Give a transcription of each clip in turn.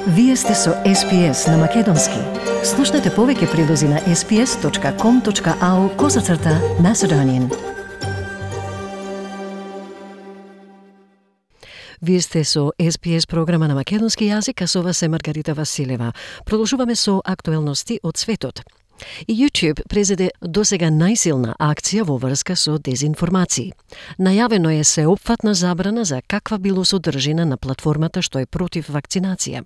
Вие сте со SPS на Македонски. Слушнете повеќе прилози на sps.com.au/Macedonian. Вие сте со SPS програма на македонски јазик, а со вас е Маргарита Василева. Продолжуваме со актуелности од светот. И YouTube презеде досега најсилна акција во врска со дезинформации. Најавено е сеопфатна забрана за каква било содржина на платформата што е против вакцинација.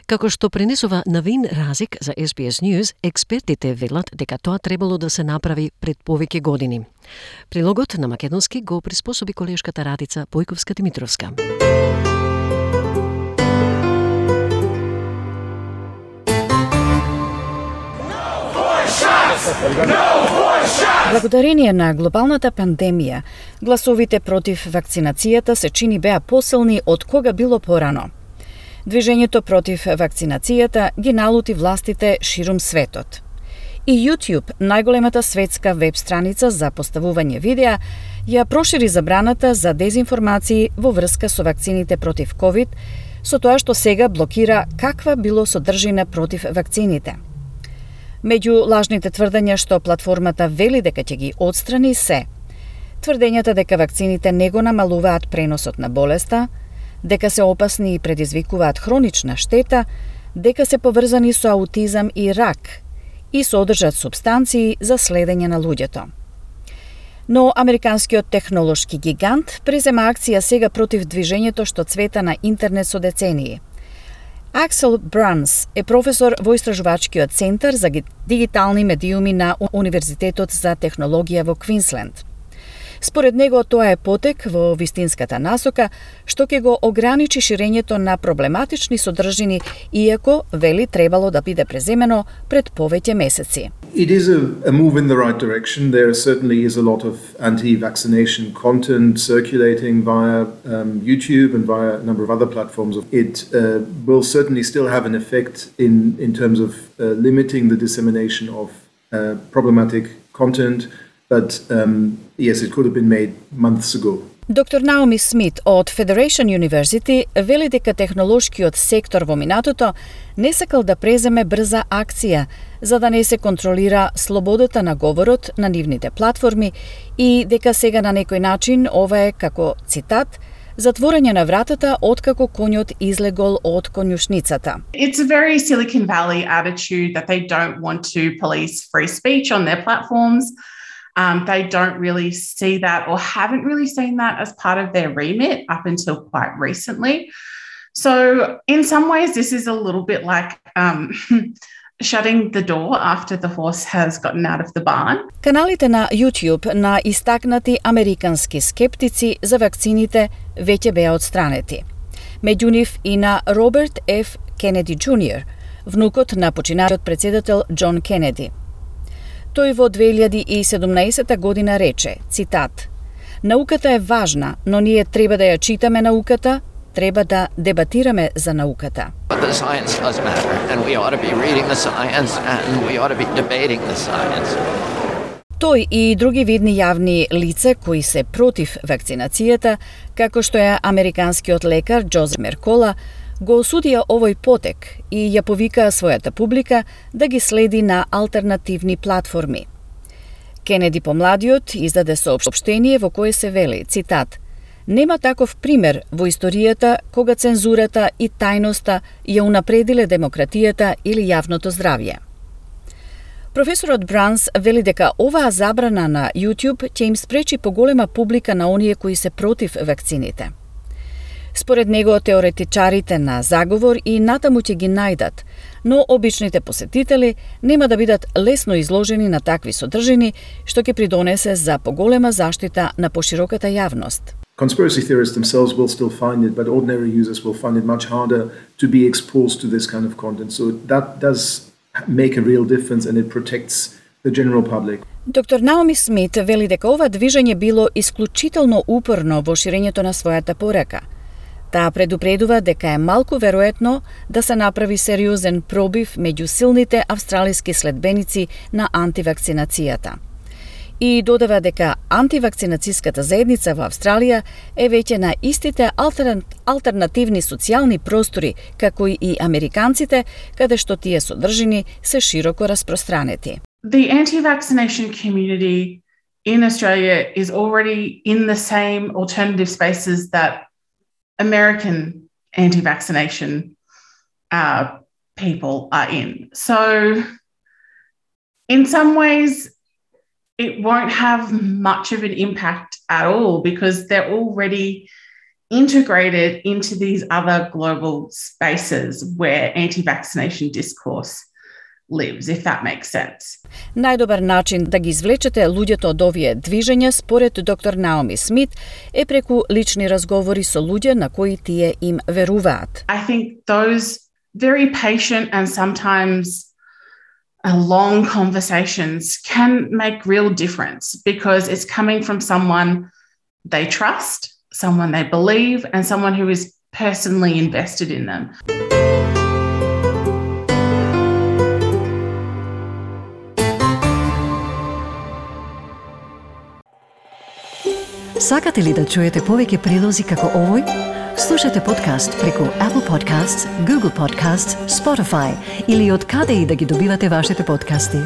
Како што пренесува Навин Разик за SBS News, експертите велат дека тоа требало да се направи пред повеќе години. Прилогот на македонски го приспособи колешката Радица Појковска-Димитровска. Благодарение на глобалната пандемија, гласовите против вакцинацијата се чини беа посилни од кога било порано. Движењето против вакцинацијата ги налути властите ширум светот. И YouTube, најголемата светска веб страница за поставување видеа, ја прошири забраната за дезинформации во врска со вакцините против COVID, со тоа што сега блокира каква било содржина против вакцините. Меѓу лажните тврдења што платформата вели дека ќе ги отстрани се тврдењата дека вакцините не го намалуваат преносот на болеста, дека се опасни и предизвикуваат хронична штета, дека се поврзани со аутизам и рак и содржат супстанции за следење на луѓето. Но американскиот технолошки гигант презема акција сега против движењето што цвета на интернет со децении. Аксел Бранс е професор во Истражувачкиот центар за дигитални медиуми на Универзитетот за технологија во Квинсленд. Според него тоа е потек во вистинската насока што ќе го ограничи ширењето на проблематични содржини, иако вели требало да биде преземено пред повеќе месеци. It is a move in the right direction. There certainly is a lot of anti-vaccination content circulating via YouTube and via a number of other platforms. It will certainly still have an effect in terms of limiting the dissemination of problematic content, but yes, it could have been made months ago. Доктор Наоми Смит од Federation University вели дека технолошкиот сектор во минатото не сакал да преземе брза акција за да не се контролира слободата на говорот на нивните платформи и дека сега на некој начин ова е како цитат затворање на вратата откако коњот излегол од конјушницата. It's a very Silicon Valley attitude that they don't want to police free speech on their platforms. They don't really see that or haven't really seen that as part of their remit up until quite recently. So in some ways, this is a little bit like shutting the door after the horse has gotten out of the barn. Каналите на YouTube на истакнати американски скептици за вакцините веќе беа отстранети. Меѓу нив и на Роберт Ф. Кенеди Джуниор, внукот на починалиот председател Џон Кенеди. Тој во 2017 година рече, цитат, науката е важна, но ние треба да ја читаме науката, треба да дебатираме за науката. Тој и други видни јавни лица кои се против вакцинацијата, како што е американскиот лекар Џозеф Меркола, го осудија овој потек и ја повикаа својата публика да ги следи на алтернативни платформи. Кенеди помладиот издаде соопштение во кое се вели, цитат, нема таков пример во историјата кога цензурата и тајноста ја унапредиле демократијата или јавното здравје. Професорот Бранс вели дека оваа забрана на YouTube ќе им спречи поголема публика на оние кои се против вакцините. Според него, теоретичарите на заговор и натаму ќе ги најдат, но обичните посетители нема да бидат лесно изложени на такви содржини, што ќе придонесе за поголема заштита на пошироката јавност. Conspiracy theorists themselves will still find it, but ordinary users will find it much harder to be exposed to this kind of content. So that does make a real difference and it protects the general public. Доктор Наоми Смит вели дека ова движење било исклучително упорно во ширењето на својата порака. Таа предупредува дека е малку веројатно да се направи сериозен пробив меѓу силните австралиски следбеници на антивакцинацијата. И додава дека антивакцинацијската заедница во Австралија е веќе на истите алтернативни социјални простори како и американците, каде што тие содржини се широко распространети. The anti-vaccination community in Australia is already in the same alternative spaces that American anti-vaccination people are in. So in some ways, it won't have much of an impact at all because they're already integrated into these other global spaces where anti-vaccination discourse lives, if that makes sense. Најдобар начин да ги извлечете луѓето од овие движења, според доктор Наоми Смит, е преку лични разговори со луѓе на кои тие им веруваат. I think those very patient and sometimes long conversations can make real difference because it's coming from someone they trust, someone they believe, and someone who is personally invested in them. Сакате ли да чуете повеќе прилози како овој? Слушате подкаст преку Apple Podcasts, Google Podcasts, Spotify или од каде и да ги добивате вашите подкасти.